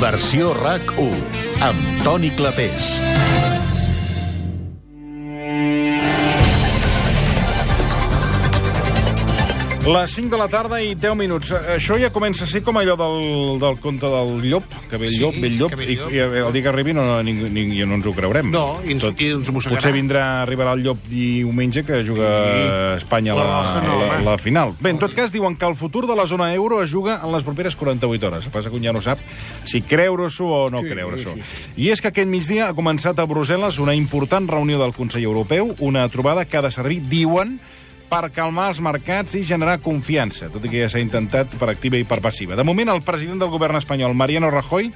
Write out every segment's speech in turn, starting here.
Versió RAC1, amb Toni Clapés. Les 5 de la tarda i 10 minuts. Això ja comença a ser com allò del conte del llop, que ve el llop, i el dia que arribi no ens ho creurem. No, i ens mossegarà. Potser arribarà el llop diumenge, que juga Espanya a la final. Bé, en tot cas, diuen que el futur de la zona euro es juga en les properes 48 hores. El que passa que un ja no sap si creure-s'ho o no creure-s'ho. I és que aquest migdia ha començat a Brussel·les una important reunió del Consell Europeu, una trobada que ha de servir, diuen, per calmar els mercats i generar confiança, tot i que ja s'ha intentat per activa i per passiva. De moment, el president del govern espanyol, Mariano Rajoy,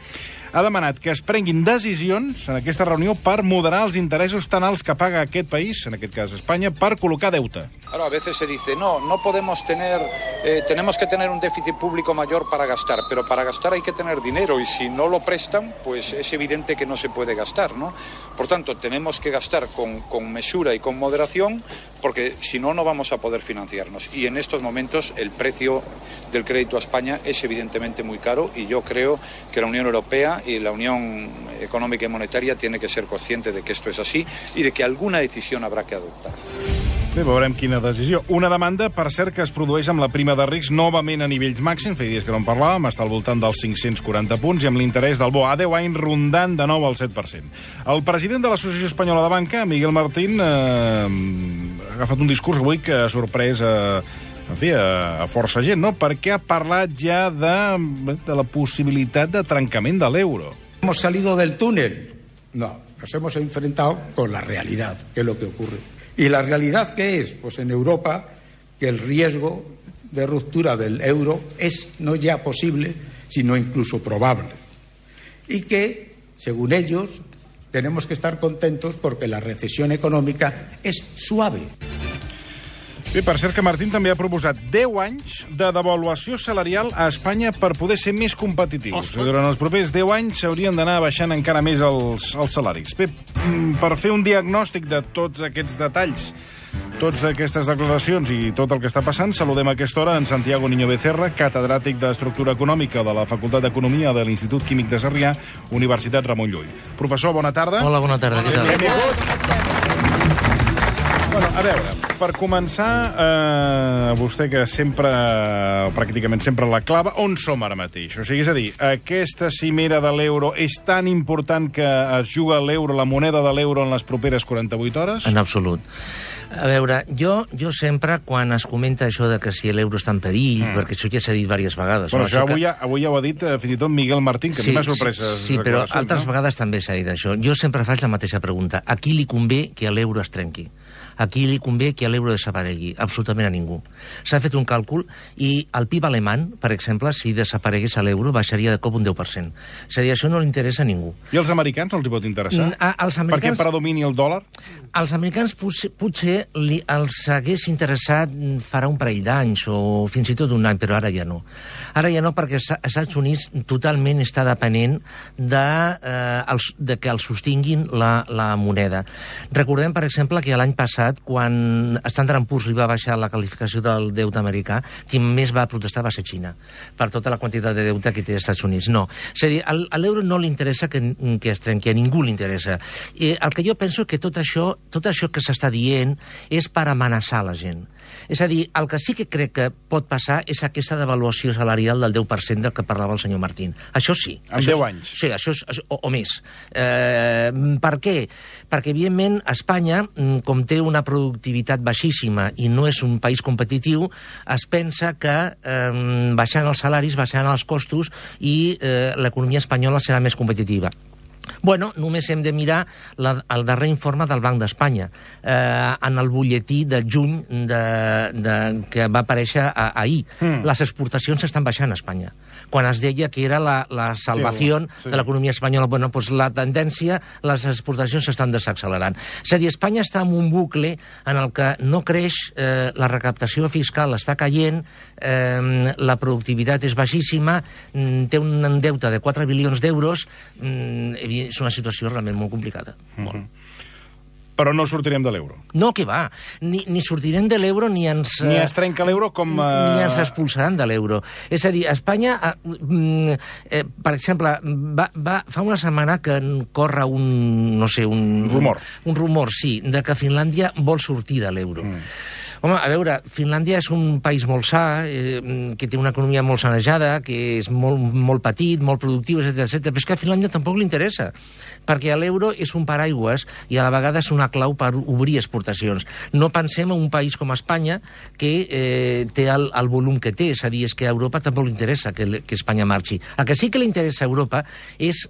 ha demanat que es prenguin decisions en aquesta reunió per moderar els interessos tan alts que paga aquest país, en aquest cas Espanya, per col·locar deute. Ahora, a veces se dice, no podemos tener, tenemos que tener un déficit público mayor para gastar, pero para gastar hay que tener dinero, y si no lo prestan, pues es evidente que no se puede gastar, ¿no? Por tanto, tenemos que gastar con mesura y con moderación, porque si no, no vamos a poder financiarnos. Y en estos momentos el precio del crédito a España es evidentemente muy caro, y yo creo que la Unión Europea y la Unión Económica y Monetaria tiene que ser consciente de que esto es así y de que alguna decisión habrá que adoptar. Bé, veurem quina decisió. Una demanda, per cert, que es produeix amb la prima de risc novament a nivells màxims, feia dies que no en parlàvem, està al voltant dels 540 punts, i amb l'interès del bo a 10 anys rondant de nou al 7%. El president de l'Associació Espanyola de Banca, Miguel Martín, ha agafat un discurs avui que ha sorprès a força gent, no? Perquè ha parlat ja de la possibilitat de trencament de l'euro. ¿Hemos salido del túnel? No, nos hemos enfrentado con la realidad, que es lo que ocurre. ¿Y la realidad qué es? Pues en Europa que el riesgo de ruptura del euro es no ya posible, sino incluso probable. Y que, según ellos, tenemos que estar contentos porque la recesión econòmica és suave. Bé, per cert que Martín també ha proposat 10 anys de devaluació salarial a Espanya per poder ser més competitius. Durant els propers 10 anys s'haurien d'anar baixant encara més els salaris. Bé, per fer un diagnòstic de tots aquests detalls, totes aquestes declaracions i tot el que està passant, saludem a aquesta hora en Santiago Niño Becerra, catedràtic d'Estructura Econòmica de la Facultat d'Economia de l'Institut Químic de Sarrià, Universitat Ramon Llull. Professor, bona tarda. Hola, bona tarda. Què tal? Bueno, a veure, per començar, vostè que sempre, pràcticament sempre la clava, on som ara mateix? O sigui, és a dir, aquesta cimera de l'euro és tan important que es juga l'euro, la moneda de l'euro, en les properes 48 hores? En absolut. A veure, jo sempre, quan es comenta això de que si l'euro està en perill, perquè això ja s'ha dit diverses vegades... Però això avui ja ho ha dit fins i tot Miguel Martín, que a mi m'ha sorprès. Sí, però altres vegades també s'ha dit això. Jo sempre faig la mateixa pregunta. A qui li convé que l'euro es trenqui? A qui li convé que l'euro desaparegui? Absolutament a ningú. S'ha fet un càlcul i el PIB alemany, per exemple, si desaparegués l'euro, baixaria de cop un 10%. És a dir, això no li interessa a ningú. I als americans no els hi pot interessar? Perquè predomini el dòlar? Als americans potser els hagués interessat farà un parell d'anys o fins i tot un any, però ara ja no. Ara ja no, perquè els Estats Units totalment està depenent de que els sostinguin la moneda. Recordem, per exemple, que l'any passat, quan Standard & Poor's li va baixar la qualificació del deute americà, qui més va protestar va ser Xina, per tota la quantitat de deute que té els Estats Units. No. És a dir, a l'euro no li interessa que es trenqui, a ningú li interessa. El que jo penso que tot això que s'està dient és per amenaçar la gent. És a dir, el que sí que crec que pot passar és aquesta devaluació salarial del 10% del que parlava el senyor Martín. Això sí. En 10 anys? Sí, o més. Per què? Perquè, evidentment, Espanya, com té una productivitat baixíssima i no és un país competitiu, es pensa que baixant els salaris, baixant els costos i l'economia espanyola serà més competitiva. Bueno, només hem de mirar el darrer informe del Banc d'Espanya en el butlletí de juny que va aparèixer ahir. Les exportacions estan baixant a Espanya. Quan es deia que era la salvació de l'economia espanyola, bueno, doncs la tendència, les exportacions s'estan desaccelerant. És a dir, Espanya està en un bucle en el que no creix, la recaptació fiscal està caient, la productivitat és baixíssima, té un deute de 4 bilions d'euros, és una situació realment molt complicada. Però no sortirem de l'euro. No, que va. Ni sortirem de l'euro ni ens... Ni es trenca l'euro com... Ni ens expulsaran de l'euro. És a dir, Espanya, per exemple, fa una setmana que corre un rumor. Un rumor, sí, de que Finlàndia vol sortir de l'euro. Home, a veure, Finlàndia és un país molt sa, que té una economia molt sanejada, que és molt petit, molt productiu, etc. Però és que a Finlàndia tampoc li interessa, perquè l'euro és un paraigües i a la vegada és una clau per obrir exportacions. No pensem en un país com Espanya, que té el volum que té, és a dir, és que a Europa tampoc li interessa que Espanya marxi. El que sí que li interessa a Europa és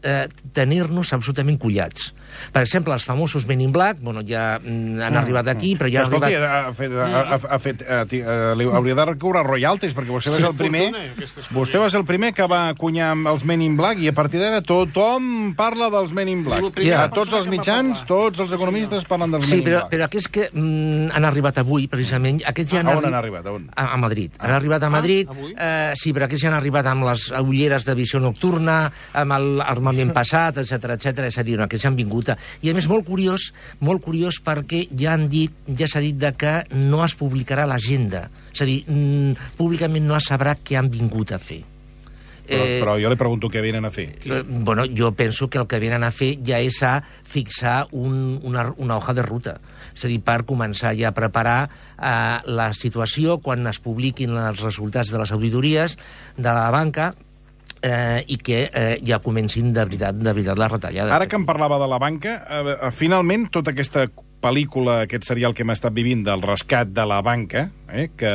tenir-nos absolutament collats. Per exemple, els famosos Men in Black, bueno, ja han arribat aquí, però ja han arribat... hauria de recobrar royalties, perquè vostè va ser el primer... Vostè va ser el primer que va acunyar els Men in Black i a partir d'ara tothom parla dels Men in Black. A tots els mitjans, tots els economistes parlen dels Men in Black. Però aquests que han arribat avui, precisament... A on han arribat? A Madrid. Han arribat a Madrid, sí, però aquests ja han arribat amb les ulleres de visió nocturna, amb l'armament passat, etc. És a dir, aquests han vingut. I a més, molt curiós perquè ja s'ha dit que no es publicarà l'agenda. És a dir, públicament no es sabrà què han vingut a fer. Però jo li pregunto què venen a fer. Bueno, jo penso que el que venen a fer ja és a fixar una hoja de ruta. És a dir, per començar ja a preparar la situació quan es publiquin els resultats de les auditories de la banca, i que ja comencin de veritat la retallada. Ara que em parlava de la banca, finalment tota aquesta pel·lícula, aquest serial que hem estat vivint del rescat de la banca, que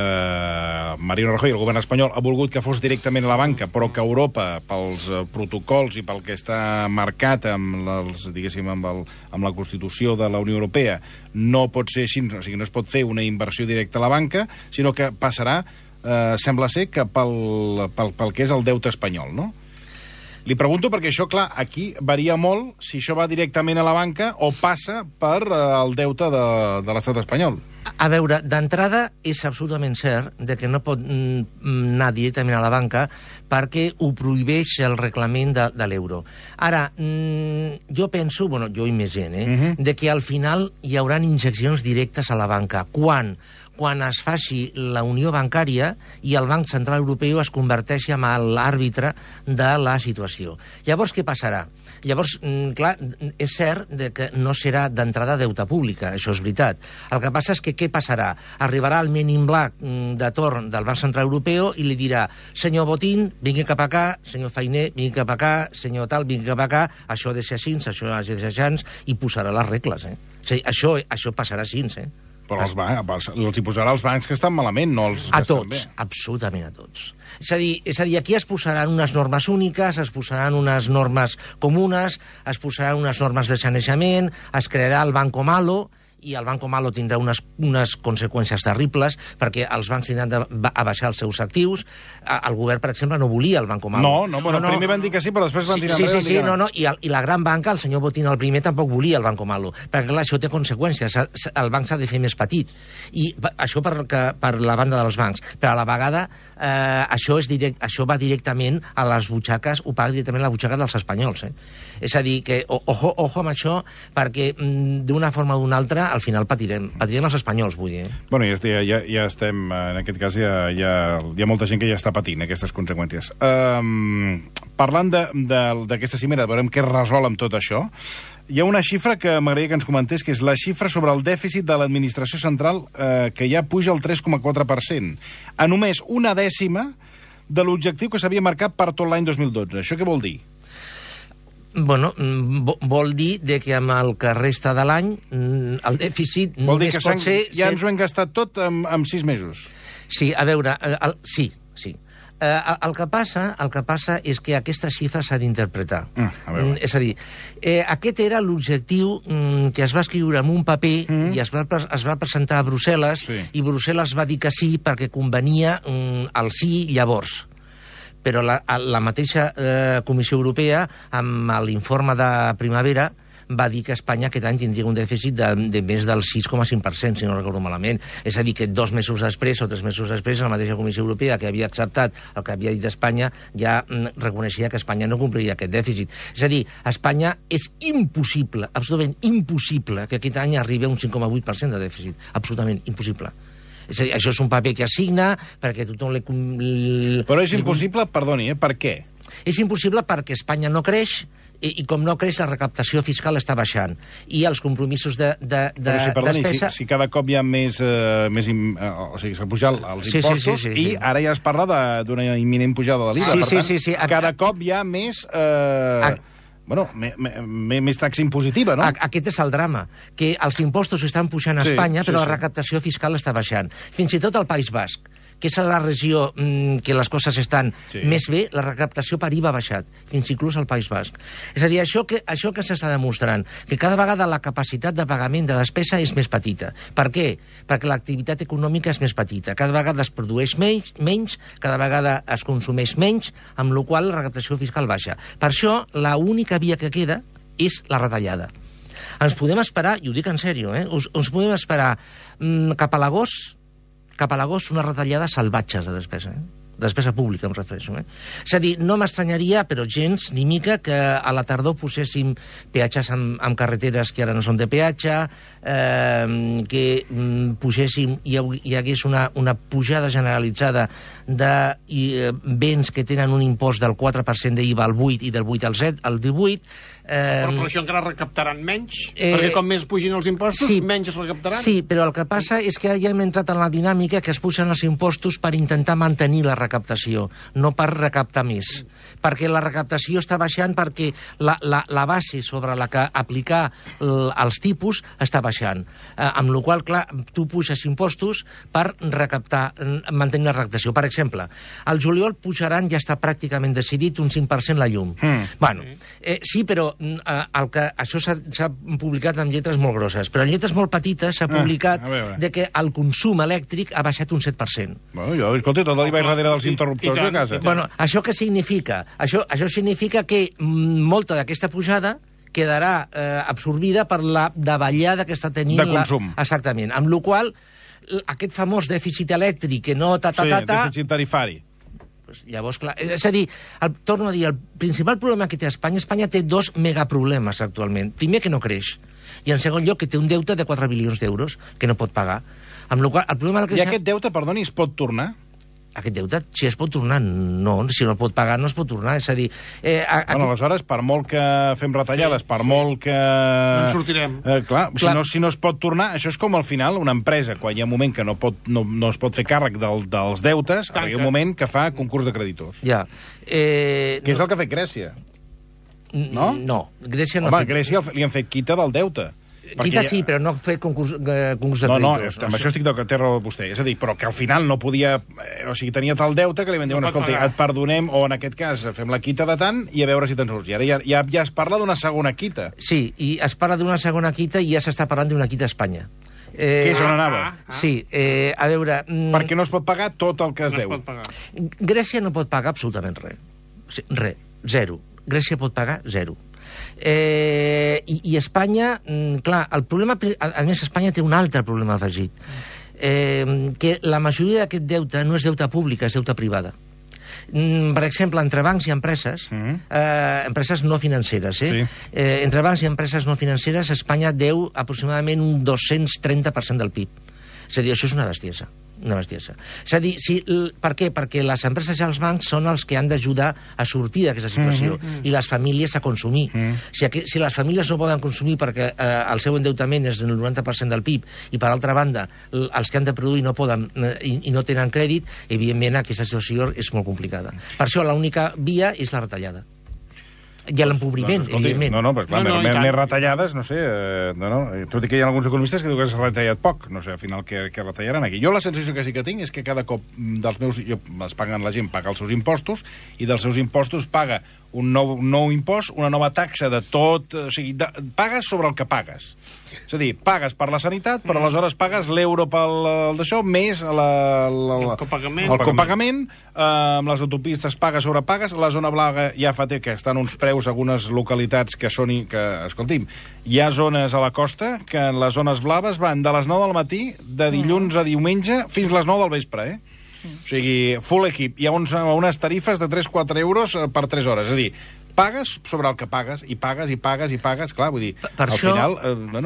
Mariano Rajoy, el govern espanyol, ha volgut que fos directament a la banca, però que Europa, pels protocols i pel que està marcat amb la Constitució de la Unió Europea, no pot ser així, o sigui, no es pot fer una inversió directa a la banca, sinó que passarà sembla ser que pel que és el deute espanyol, no? Li pregunto perquè això, clar, aquí varia molt si això va directament a la banca o passa per el deute de l'estat espanyol. A veure, d'entrada és absolutament cert que no pot anar directament a la banca perquè ho prohibeix el reglament de l'euro. Ara, jo penso, bueno, jo i més gent, de que al final hi haurà injeccions directes a la banca. Quan es faci la unió bancària i el Banc Central Europeu es converteixi en l'àrbitre de la situació. Llavors, què passarà? Llavors, clar, és cert que no serà d'entrada deute pública, això és veritat. El que passa és que què passarà? Arribarà el Men in Black de torn del Banc Central Europeu i li dirà: senyor Botín, vingui cap acá, senyor Fainé, vingui cap acá, senyor tal, vingui cap acá, això ha de ser així, això ha de ser així, i posarà les regles, O sigui, això passarà així, Però els hi posarà els bancs que estan malament, no els que estan bé. Absolutament a tots. És a dir, aquí es posaran unes normes úniques, es posaran unes normes comunes, es posaran unes normes de sanejament, es crearà el Banco Malo, i el Banco Malo tindrà unes conseqüències terribles, perquè els bancs tindran d'abaixar els seus actius. El govern, per exemple, no volia el Banco Malo. Primer van dir que sí, però després van tirar enrere. Sí, i la gran banca, el senyor Botín, el primer, tampoc volia el Banco Malo, perquè clar, això té conseqüències. El banc s'ha de fer més petit, i això per la banda dels bancs. Però a la vegada, això va directament a les butxaques, ho paga directament a la butxaca dels espanyols. És a dir, que ojo amb això, perquè d'una forma o d'una altra al final patirem els espanyols, vull dir. Bueno, ja estem, en aquest cas hi ha molta gent que ja està patint aquestes conseqüències. Parlant d'aquesta cimera, veurem què es resol amb tot això. Hi ha una xifra que m'agradaria que ens comentés, que és la xifra sobre el dèficit de l'administració central, que ja puja al 3,4%, a només una dècima de l'objectiu que s'havia marcat per tot l'any 2012. Això què vol dir? Bueno, vol dir que amb el que resta de l'any el dèficit només pot ser... Ja ens ho hem gastat tot en 6 mesos. Sí, a veure, sí. El que passa és que aquesta xifra s'ha d'interpretar. És a dir, aquest era l'objectiu que es va escriure en un paper i es va presentar a Brussel·les, i Brussel·les va dir que sí perquè convenia el sí llavors. Però la mateixa Comissió Europea, amb l'informe de primavera, va dir que Espanya aquest any tindria un dèficit de més del 6,5%, si no recordo malament. És a dir, que 2 mesos després o 3 mesos després, la mateixa Comissió Europea, que havia acceptat el que havia dit Espanya, ja reconeixia que Espanya no compliria aquest dèficit. És a dir, a Espanya és impossible, absolutament impossible, que aquest any arribi a un 5,8% de dèficit. Absolutament impossible. És a dir, això és un paper que assigna perquè tothom Però és impossible, perdoni, per què? És impossible perquè Espanya no creix i com no creix, la recaptació fiscal està baixant. I els compromisos de despesa... Si cada cop hi ha més... o sigui, s'ha pujat els impostos i ara ja es parla d'una imminent pujada de l'IVA. Per tant, cada cop hi ha més... més taxa impositiva, no? Aquest és el drama, que els impostos estan pujant a Espanya, però la recaptació fiscal està baixant. Fins i tot al País Basc, que és la regió que les coses estan més bé, la recaptació per IVA ha baixat, fins inclús al País Basc. És a dir, això que s'està demostrant, que cada vegada la capacitat de pagament de despesa és més petita. Per què? Perquè l'activitat econòmica és més petita. Cada vegada es produeix menys, cada vegada es consumeix menys, amb la qual la recaptació fiscal baixa. Per això, l'única via que queda és la retallada. Ens podem esperar, i ho dic en sèrio, ens podem esperar cap a l'agost unes retallades salvatges de despesa, despesa pública, em refereixo. És a dir, no m'estranyaria, però gens ni mica, que a la tardor poséssim peatges amb carreteres que ara no són de peatge, que poséssim, hi hagués una pujada generalitzada de béns que tenen un impost del 4% d'IVA al 8 i del 8 al 18. Però això encara recaptaran menys, perquè com més pugin els impostos, menys es recaptaran. Sí, però el que passa és que ja hem entrat en la dinàmica que es pugen els impostos per intentar mantenir la recaptació, no per recaptar més. Perquè la recaptació està baixant perquè la base sobre la que aplicar els tipus està baixant. Amb la qual cosa, clar, tu puges impostos per recaptar, mantenir la recaptació. Per exemple, al juliol pujaran, ja està pràcticament decidit, un 5% la llum. Sí, però això s'ha publicat amb lletres molt grosses, però en lletres molt petites s'ha publicat que el consum elèctric ha baixat un 7%. Jo, escolta, tot el vaig darrere dels interruptors de casa. Això què significa? Això significa que molta d'aquesta pujada quedarà absorbida per la davallada que està tenint... De consum. Exactament. Amb la qual aquest famós dèficit elèctric que no... dèficit tarifari. Llavors, clar, és a dir, torno a dir, el principal problema que té Espanya té 2 megaproblemes actualment. Primer, que no creix. I en segon lloc, que té un deute de 4 bilions d'euros que no pot pagar. Amb la qual, el problema I aquest deute, perdoni, es pot tornar? Aquest deute, si es pot tornar, no. Si no el pot pagar, no es pot tornar. És a dir... aleshores, per molt que fem retallades, per molt que... No en sortirem. Clar, si no es pot tornar, això és com al final una empresa, quan hi ha un moment que no es pot fer càrrec dels deutes, hi ha un moment que fa concurs de creditors. Ja. Que és el que ha fet Grècia. No? No, Grècia no ha fet... Home, a Grècia li han fet quita del deute. Quita sí, però no fer concurs de creditors. No, amb això estic de raó vostè. És a dir, però que al final no podia... O sigui, tenia tal deute que li van dir, escolta, et perdonem, o en aquest cas fem la quita de tant i a veure si te'n surts. I ara ja es parla d'una segona quita. Sí, i es parla d'una segona quita i ja s'està parlant d'una quita a Espanya. Que és on anava? Sí, a veure... Perquè no es pot pagar tot el que es deu. Grècia no pot pagar absolutament res. Res, zero. Grècia pot pagar zero. I Espanya, clar, el problema, a més Espanya té un altre problema afegit, que la majoria d'aquest deute no és deute públic, és deute privada. Per exemple, entre bancs i empreses, empreses no financeres, entre bancs i empreses no financeres, Espanya deu aproximadament un 230% del PIB. És a dir, això és una bestiesa. És a dir, per què? Perquè les empreses i els bancs són els que han d'ajudar a sortir d'aquesta situació i les famílies a consumir. Si les famílies no poden consumir perquè el seu endeutament és del 90% del PIB i, per altra banda, els que han de produir no poden i no tenen crèdit, evidentment aquesta situació és molt complicada. Per això l'única via és la retallada. I l'empobriment, evidentment. Més retallades, no sé, tot i que hi ha alguns economistes que diuen que s'ha retallat poc, no sé, al final què retallaran aquí. Jo la sensació que sí que tinc és que cada cop la gent paga els seus impostos i dels seus impostos paga un nou impost, una nova taxa de tot... O sigui, pagues sobre el que pagues. És a dir, pagues per la sanitat, però aleshores pagues l'euro pel d'això, més el copagament, amb les autopistes pagues sobre pagues, la zona blava ja fa que estan uns preus a algunes localitats que són... Escolti'm, hi ha zones a la costa que en les zones blaves van de les 9 del matí, de dilluns a diumenge, fins les 9 del vespre, O sigui, full equip. Hi ha unes tarifes de 3-4 euros per 3 hores. És a dir, pagues sobre el que pagues, i pagues, i pagues, i pagues. Clar, vull dir, al final,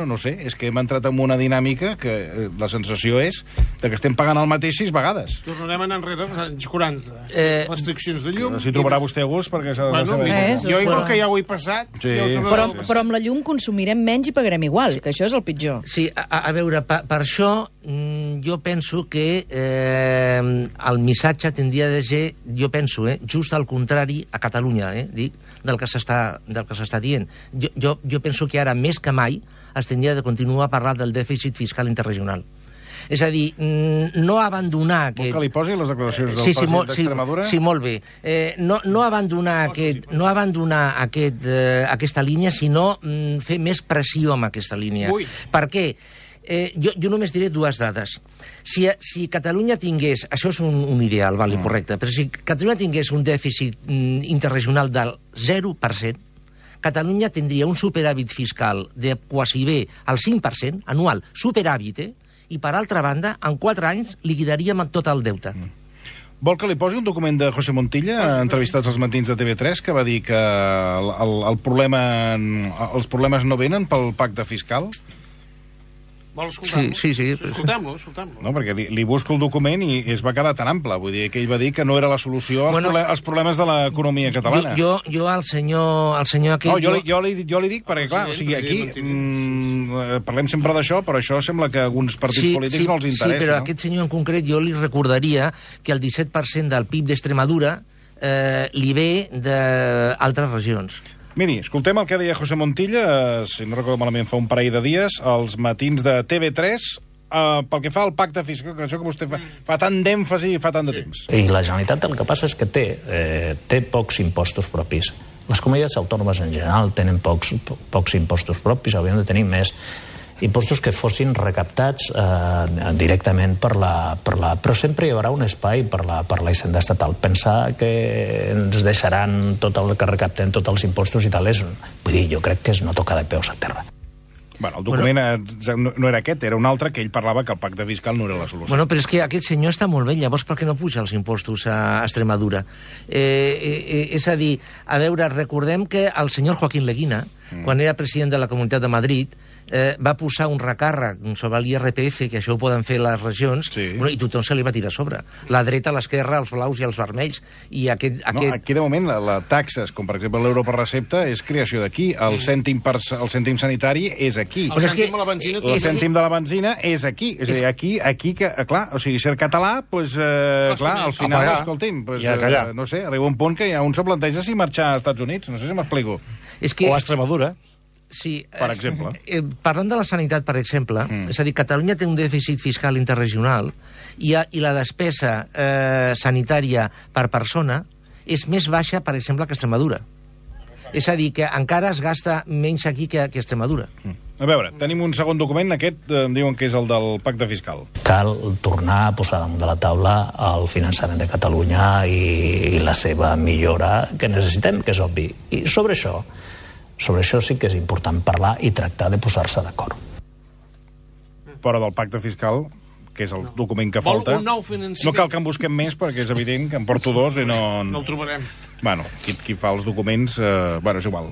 no sé, és que hem entrat en una dinàmica que la sensació és que estem pagant el mateix 6 vegades. Tornarem a anar enrere als anys 40. Restriccions de llum. Si trobarà vostè a gust, perquè s'ha de saber. Jo igual que ja ho he passat. Però amb la llum consumirem menys i pagarem igual, que això és el pitjor. Sí, a veure, per això jo penso que el missatge tindria de ser, jo penso, just al contrari a Catalunya, dic, del que s'està dient. Jo penso que ara, més que mai, es tindria de continuar a parlar del dèficit fiscal interregional. És a dir, no abandonar aquest... Vol que li posi les declaracions del president d'Extremadura? Sí, molt bé. No abandonar aquesta línia, sinó fer més pressió amb aquesta línia. Per què? Jo només diré 2 dades. Si Catalunya tingués... Això és un ideal, vale, correcte, però si Catalunya tingués un dèficit interregional del 0%, Catalunya tindria un superàvit fiscal de quasi bé el 5% anual, superàvit, i per altra banda, en 4 anys liquidaríem tot el deute. Vol que li posi un document de José Montilla, entrevistats als matins de TV3, que va dir que els problemes no venen pel pacte fiscal? Vol escoltar-lo? Sí. Escoltem-lo. No, perquè li busco el document i es va quedar tan ample. Vull dir que ell va dir que no era la solució als problemes de l'economia catalana. Jo al senyor aquest... No, jo li dic perquè, clar, o sigui, aquí parlem sempre d'això, però això sembla que a alguns partits polítics no els interessa. Sí, però aquest senyor en concret jo li recordaria que el 17% del PIB d'Extremadura li ve d'altres regions. Miri, escoltem el que deia José Montilla, si no recordo malament fa un parell de dies, als matins de TV3, pel que fa al pacte fiscal, que això que vostè fa tant d'èmfasi i fa tant de temps. I la Generalitat el que passa és que té pocs impostos propis. Les comunitats autònomes en general tenen pocs impostos propis, hauríem de tenir més impostos que fossin recaptats directament però sempre hi haurà un espai per la hisenda estatal. Pensar que ens deixaran tot el que recaptem, tots els impostos i tal, vull dir, jo crec que és no tocar de peus a terra. Bueno, el document no era aquest, era un altre, que ell parlava que el pacte fiscal no era la solució. Bueno, però és que aquest senyor està molt bé, llavors per què no puja els impostos a Extremadura? És a dir, a veure, recordem que el senyor Joaquín Leguina, quan era president de la Comunitat de Madrid, va posar un recàrrec sobre l'IRPF, que això ho poden fer les regions, i tothom se li va tirar a sobre. La dreta, l'esquerra, els blaus i els vermells. I aquí, de moment, les taxes, com per exemple l'euro per recepta, és creació d'aquí. El cèntim sanitari és aquí. El cèntim de la benzina... El cèntim de la benzina és aquí. És a dir, aquí, clar, o sigui, ser català, doncs, clar, al final, escolti'm, no sé, arriba un punt que ja un se planteja si marxar als Estats Units, no sé si m'explico. O a Extremadura. Sí, per exemple. Parlant de la sanitat, per exemple, és a dir, Catalunya té un dèficit fiscal interregional i la despesa sanitària per persona és més baixa, per exemple, que Extremadura. És a dir, que encara es gasta menys aquí que Extremadura. A veure, tenim un segon document, aquest em diuen que és el del pacte fiscal. Cal tornar a posar damunt de la taula el finançament de Catalunya i la seva millora que necessitem, que és obvi. I sobre això sí que és important parlar i tractar de posar-se d'acord. Però del pacte fiscal, que és el document que falta, no cal que en busquem més, perquè és evident que en porto 2 i no... No el trobarem. Bueno, qui fa els documents... Bueno, és igual.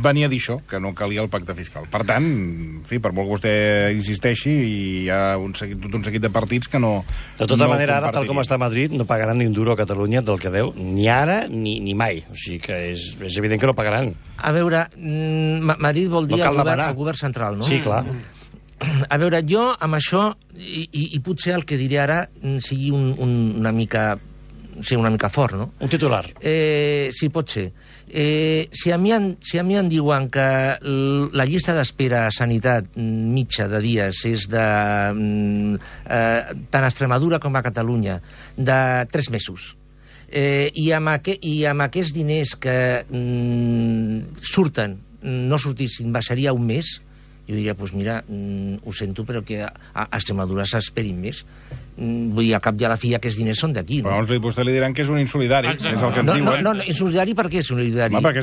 Venia a dir això, que no calia el pacte fiscal. Per tant, en fi, per molt que vostè insisteixi, hi ha tot un seguit de partits que no... De tota manera, ara, tal com està a Madrid, no pagaran ni un duro a Catalunya del que deu, ni ara ni mai. O sigui que és evident que no pagaran. A veure, Madrid vol dir el govern central, no? Sí, clar. A veure, jo amb això, i potser el que diré ara sigui una mica fort, no? Un titular. Sí, pot ser. Si a mi em diuen que la llista d'espera a sanitat mitja de dies és de tant a Extremadura com a Catalunya, de 3 mesos, I amb aquests diners que surten, no sortissin, baixaria un mes, jo diria, doncs mira, ho sento, però que a Extremadura s'esperin més. Vull dir, al cap i a la fi aquests diners són d'aquí, no? Però vostè li diran que és un insolidari, és el que ens diuen. No, insolidari per què és insolidari? Perquè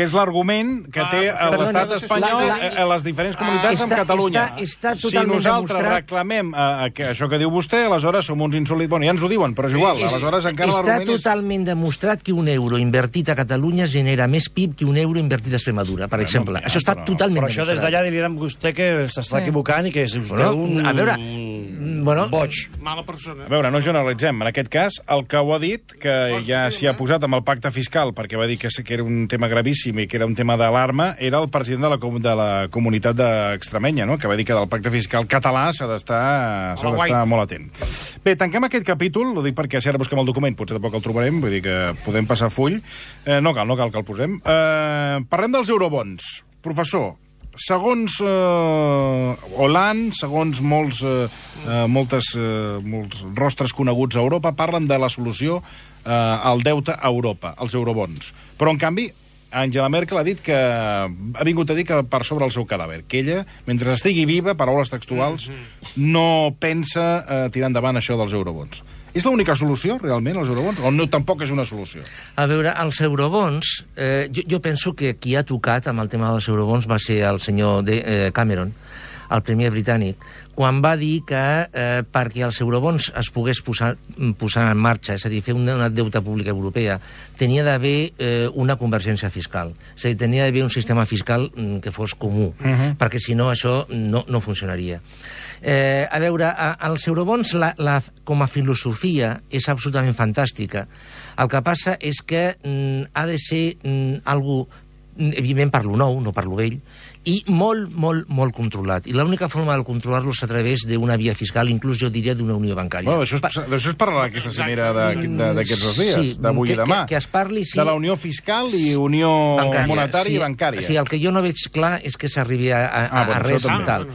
és l'argument que té l'estat espanyol a les diferents comunitats amb Catalunya. Si nosaltres reclamem això que diu vostè, aleshores som uns insòlids. Bueno, ja ens ho diuen, però és igual. Aleshores encara l'argument és... Està totalment demostrat que un euro invertit a Catalunya genera més PIB que un euro invertit a Extremadura, per exemple. Això està totalment demostrat. Però això des d'allà diran vostè que s'està equivocant i que és vostè un boig. Mala persona. A veure, no generalitzem. En aquest cas, el que ho ha dit, que ja s'hi ha posat amb el pacte fiscal, perquè va dir que era un tema gravíssim i que era un tema d'alarma, era el president de la comunitat d'Extremenya, no? Que va dir que del pacte fiscal català s'ha d'estar molt atent. Bé, tanquem aquest capítol, ho dic perquè si ara busquem el document potser tampoc el trobarem, vull dir que podem passar full. No cal que el posem. Parlem dels eurobons. Professor, segons Hollande, segons molts rostres coneguts a Europa, parlen de la solució al deute a Europa, als eurobons. Però, en canvi, Angela Merkel ha dit que ha vingut a dir que per sobre el seu cadàver, que ella, mentre estigui viva, paraules textuals, no pensa tirar endavant això dels eurobons. És l'única solució, realment, els eurobons? O no, tampoc és una solució? A veure, els eurobons... jo penso que qui ha tocat amb el tema dels eurobons va ser el senyor Cameron, el primer britànic, quan va dir que perquè els eurobons es pogués posar en marxa, és a dir, fer una deuta pública europea, tenia d'haver una convergència fiscal. És a dir, tenia d'haver un sistema fiscal que fos comú, perquè si no això no funcionaria. A veure, els eurobons com a filosofia és absolutament fantàstica. El que passa és que ha de ser algú, evidentment per lo nou, no per lo vell, i molt, molt, molt controlat. I l'única forma de controlar-lo és a través d'una via fiscal, inclús jo diria d'una unió bancària. Bueno, d'això es parlarà aquesta cimera d'aquests 2 dies, d'avui i demà. Que es parli, sí. De la unió fiscal i unió monetària i bancària. Sí, el que jo no veig clar és que s'arribi a res tal.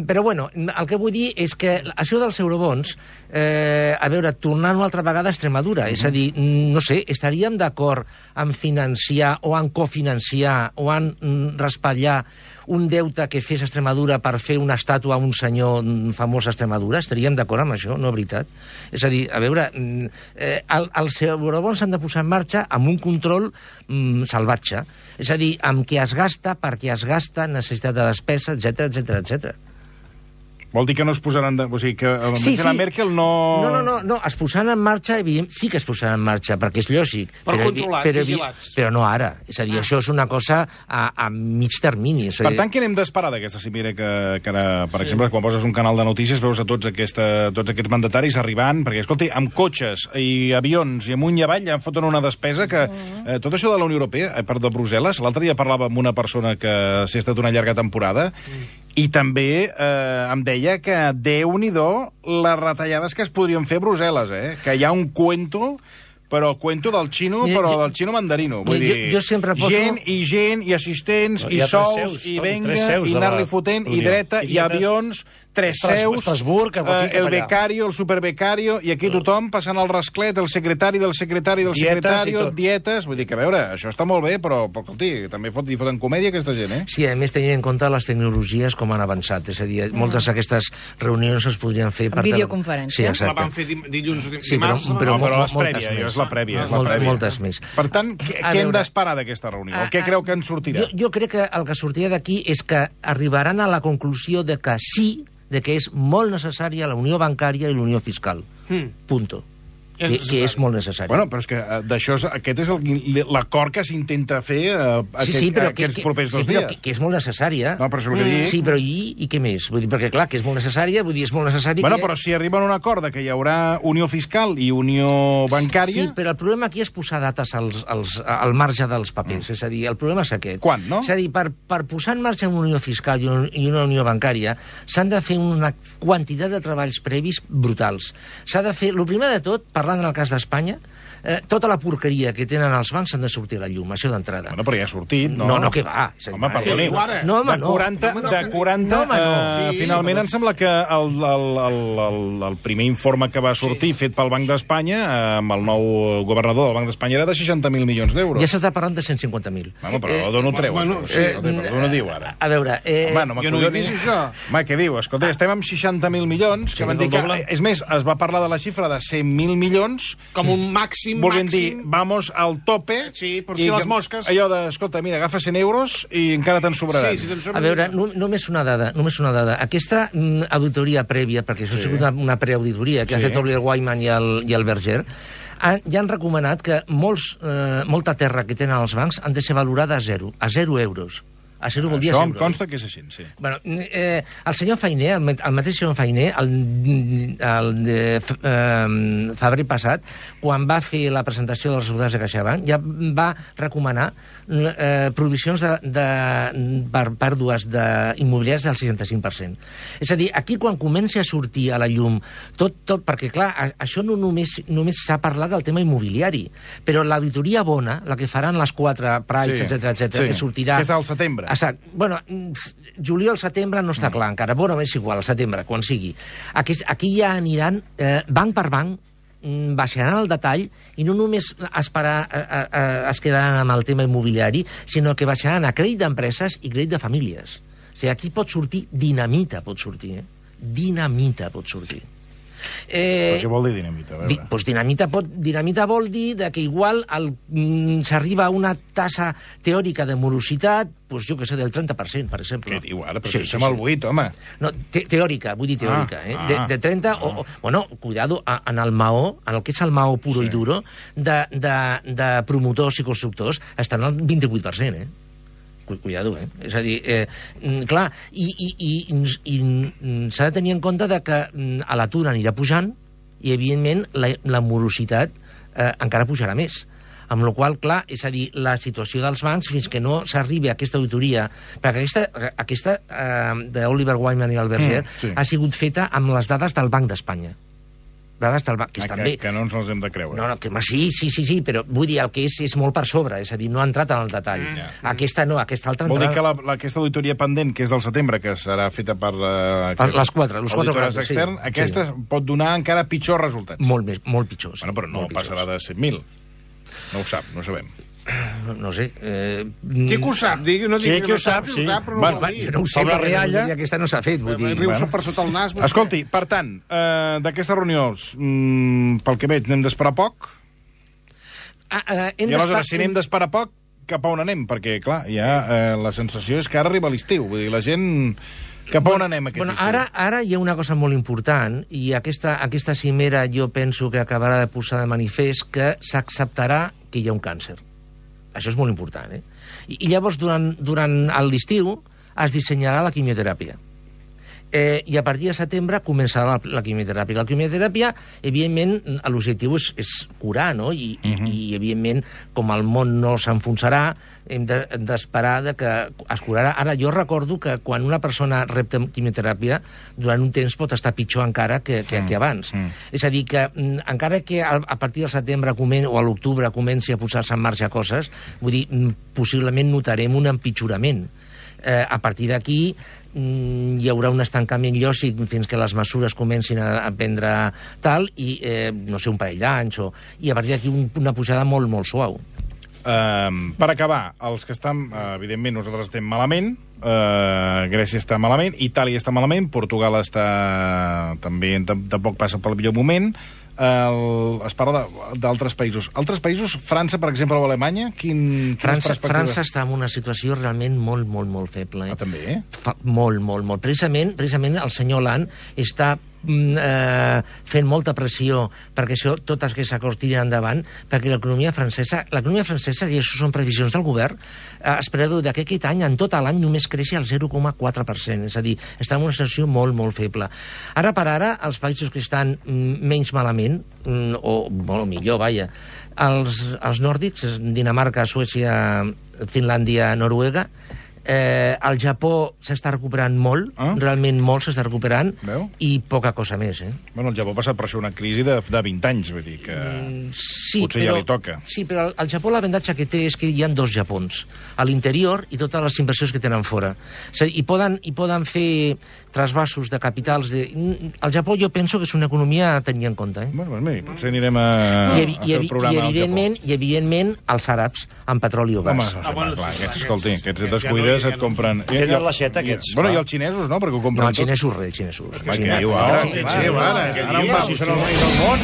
Però, bueno, el que vull dir és que això dels eurobons, a veure, tornar una altra vegada a Extremadura, és a dir, no sé, estaríem d'acord en financiar o en cofinanciar o en raspallar un deute que fes Extremadura per fer una estàtua a un senyor famós a Extremadura? Estaríem d'acord amb això, no, veritat? És a dir, a veure, els eurobons s'han de posar en marxa amb un control salvatge. És a dir, amb què es gasta, per què es gasta, necessitat de despesa, etc. Vol dir que no es posaran... O sigui, que la Merkel no... No, es posaran en marxa, evidentment, sí que es posaran en marxa, perquè és lògic. Vigilats. Però no ara. És a dir, això és una cosa a mig termini. Per tant, què n'hem d'esperar d'aquesta cimera que ara, per exemple, quan poses un canal de notícies, veus a tots aquests mandataris arribant, perquè, escolti, amb cotxes i avions i amunt i avall ja foten una despesa que... Tot això de la Unió Europea, de Brussel·les, l'altre dia parlava amb una persona que s'ha estat una llarga temporada i també em deia que Déu-n'hi-do les retallades que es podrien fer a Brussel·les, que hi ha un cuento, però cuento del xino, però del xino mandarino. Vull dir, jo sempre poso... gent, i assistents, i sous, i venga, i anar-li fotent, i dreta, i avions... 3 seus, el becario, el superbecario, i aquí tothom passant el rasclet, el secretari del secretari del secretari, dietes... Vull dir que, a veure, això està molt bé, però escolti, també hi foten comèdia aquesta gent, eh? Sí, a més, tenint en compte les tecnologies com han avançat. És a dir, moltes d'aquestes reunions es podrien fer... Videoconferència. Sí, exacte. La van fer dilluns o dimarts. Sí, però és la prèvia. Moltes més. Per tant, què hem d'esperar d'aquesta reunió? Què creu que en sortirà? Jo crec que el que sortirà d'aquí és que arribaran a la conclusió de que sí, de que és molt necessària la unió bancària i la unió fiscal. Punto. Que és molt necessari. Bueno, però és que aquest és l'acord que s'intenta fer aquests propers 2 dies. Que és molt necessària. No, però això és el que dic. Sí, però i què més? Vull dir, perquè, clar, que és molt necessària, vull dir, és molt necessari bueno, però si arriben a un acord que hi haurà unió fiscal i unió bancària... Sí, però el problema aquí és posar dates al marge dels papers. És a dir, el problema és aquest. Quan, no? És a dir, per posar en marxa una unió fiscal i una unió bancària s'han de fer una quantitat de treballs previs brutals. S'ha de fer, el primer de tot, parlant en el cas d'Espanya, tota la porqueria que tenen els bancs s'han de sortir a la llum, això d'entrada. Bueno, però ja ha sortit, no? No, que va. Home, perdoni. No, home, no. De 40, finalment em sembla que el primer informe que va sortir, fet pel Banc d'Espanya, amb el nou governador del Banc d'Espanya, era de 60.000 milions d'euros. Ja s'està parlant de 150.000. Bueno, però d'on ho treu, això? D'on ho diu, ara? A veure... Jo no ho he vist, això. Home, què diu? Escolta, estem amb 60.000 milions, que van dir que... És més, es va parlar de la xifra de 100.000 milions... Com un màxim, volent dir, vamos al tope... Sí, per si les mosques... Allò de, escolta, mira, agafa 100 euros i encara te'n sobraran. Sí, si te'n sobraran. A veure, només una dada. Aquesta auditoria prèvia, perquè això ha sigut una preauditoria que ha fet Oliver Wyman i el Berger, ja han recomanat que molta terra que tenen els bancs han de ser valorada a 0 euros. A 0 vol dir això a 0. Em consta que és així, sí. Bueno, el senyor Fainé, el mateix senyor Fainé, el de febrer passat, quan va fer la presentació dels resultats de CaixaBank, ja va recomanar provisions per pèrdues immobiliàries del 65%. És a dir, aquí quan comença a sortir a la llum tot, perquè clar, això no només s'ha parlat del tema immobiliari, però l'auditoria bona, la que faran les 4 Price, etc., que sortirà... Que és del setembre. Exacte. Bueno, juliol-setembre no està clar encara. Bueno, és igual, al setembre, quan sigui. Aquí ja aniran banc per banc, baixaran el detall i no només es quedaran amb el tema immobiliari, sinó que baixaran a crèdit d'empreses i crèdit de famílies. O sigui, aquí pot sortir dinamita, Dinamita pot sortir. Però què vol dir dinamita? Pues dinamita vol dir que igual s'arriba a una tassa teòrica de morositat, pues jo que sé, del 30%, per exemple. Què diu ara? Però estem al 8, home. No, teòrica, vull dir teòrica. De 30, bueno, cuidado, en el Maó, en el que és el Maó puro i duro, de promotors i constructors, estan al 28%, Cuidado, És a dir, clar, i s'ha de tenir en compte que l'atur anirà pujant i, evidentment, la morositat encara pujarà més. Amb la qual cosa, clar, és a dir, la situació dels bancs, fins que no s'arribi a aquesta auditoria, perquè aquesta d'Oliver Wyman i el Berger ha sigut feta amb les dades del Banc d'Espanya. Dades del banc, que no ens les hem de creure. No, sí, però vull dir, el que és molt per sobre, és a dir, no ha entrat en el detall. Aquesta altra... Vol dir que aquesta auditoria pendent, que és del setembre, que serà feta per les 4 auditores externs, aquesta pot donar encara pitjors resultats. Molt pitjors. Bueno, però no passarà de 100.000. No ho sap, no ho sabem. No sé. Qui que ho sap? No sí, qui ho sap, sí. Jo no ho sé, la rialla... aquesta no s'ha fet, vull dir. Riu-se per sota el nas. Escolti, per tant, d'aquesta reunió, pel que veig, n'hem d'esperar poc? I aleshores, si n'hem d'esperar poc, cap a on anem? Perquè, clar, ja la sensació és que ara arriba l'estiu. Vull dir, la gent... Cap a on anem aquest estiu? Ara hi ha una cosa molt important, i aquesta cimera jo penso que acabarà de posar de manifest que s'acceptarà que hi ha un càncer. Això és molt important, I llavors, durant l'estiu, es dissenyarà la quimioteràpia. I a partir de setembre començarà la quimioteràpia. La quimioteràpia, evidentment, l'objectiu és curar, no? I evidentment, com el món no s'enfonsarà, hem d'esperar que es curarà. Ara, jo recordo que quan una persona rep quimioteràpia, durant un temps pot estar pitjor encara que abans. És a dir, que encara que a partir del setembre o a l'octubre comenci a posar-se en marxa coses, vull dir, possiblement notarem un empitjorament. A partir d'aquí hi haurà un estancament lògic fins que les mesures comencin a prendre tal, i no sé, un parell d'anys, i a partir d'aquí una pujada molt, molt suau. Per acabar, els que estan, evidentment, nosaltres estem malament, Grècia està malament, Itàlia està malament, Portugal està també, tampoc passa pel millor moment. Es parla d'altres països. Altres països, França, per exemple, o Alemanya, França està en una situació realment molt, molt, molt feble. També? Molt. Precisament el senyor Hollande està fent molta pressió perquè tot aquests acords tirin endavant, perquè l'economia francesa, i això són previsions del govern, es preveu que aquest any, en tot l'any, només creixi el 0,4%, és a dir, està en una situació molt, molt feble. Ara per ara, els països que estan menys malament, o molt millor, vaja, els nòrdics, Dinamarca, Suècia, Finlàndia, Noruega, el Japó s'està recuperant molt, realment molt s'està recuperant, i poca cosa més. Bueno, el Japó ha passat per això una crisi de 20 anys, vull dir que potser ja li toca. Sí, però al Japó l'avantatge que té és que hi ha dos Japons, a l'interior i totes les inversions que tenen fora. És a dir, i poden fer trasbassos de capitals. El Japó jo penso que és una economia a tenir en compte. Bueno, doncs mira, potser anirem a fer el programa al Japó. I evidentment els àrabs amb petroli o gas. Home, clar, escolti, aquests descuides et compren... Tenen la xeta, aquests. Bueno, i els xinesos, no? Perquè ho compren tot. No, els xinesos, xinesos. Què diu ara? Si són el rei del món.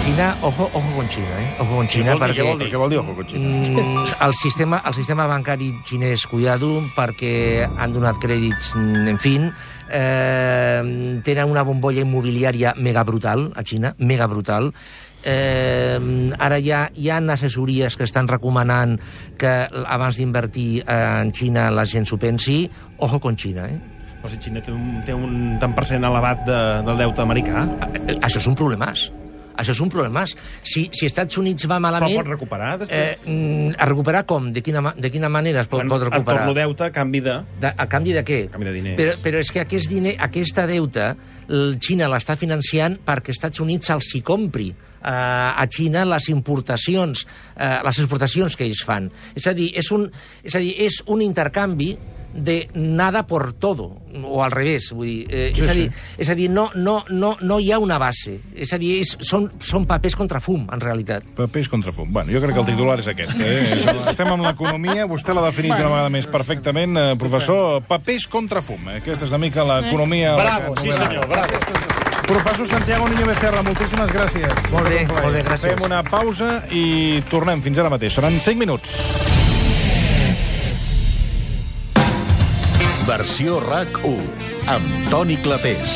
China, ojo con China, Ojo con China, perquè... Què vol dir ojo con China? El sistema bancari xinès, cuidado, perquè han donat crèdits, en fi, tenen una bombolla immobiliària mega brutal a Xina, mega brutal. Ara hi ha assessories que estan recomanant que abans d'invertir en Xina la gent s'ho pensi. Ojo con China, Però si Xina té un tant per cent elevat del deute americà... Això és un problemàs. Això és un problemàs. Si Estats Units va malament... Però pot recuperar, després? A recuperar com? De quina manera es pot recuperar? En torno deute, a canvi de... A canvi de què? A canvi de diners. Però és que aquesta deute, Xina l'està financiant perquè Estats Units se'ls hi compri a Xina les exportacions que ells fan. És a dir, és un intercanvi de nada por todo, o al revés, vull dir, és a dir, no hi ha una base, és a dir, són papers contra fum, en realitat. Papers contra fum. Bueno, jo crec que el titular és aquest. Estem amb l'economia, vostè l'ha definit una vegada més perfectament, professor, papers contra fum. Aquesta és una mica l'economia... Bravo, sí senyor, bravo. Professor Santiago Niño Becerra, moltíssimes gràcies. Molt bé, gràcies. Fem una pausa i tornem fins ara mateix. Seran 5 minuts. Versió RAC 1, amb Toni Clapés.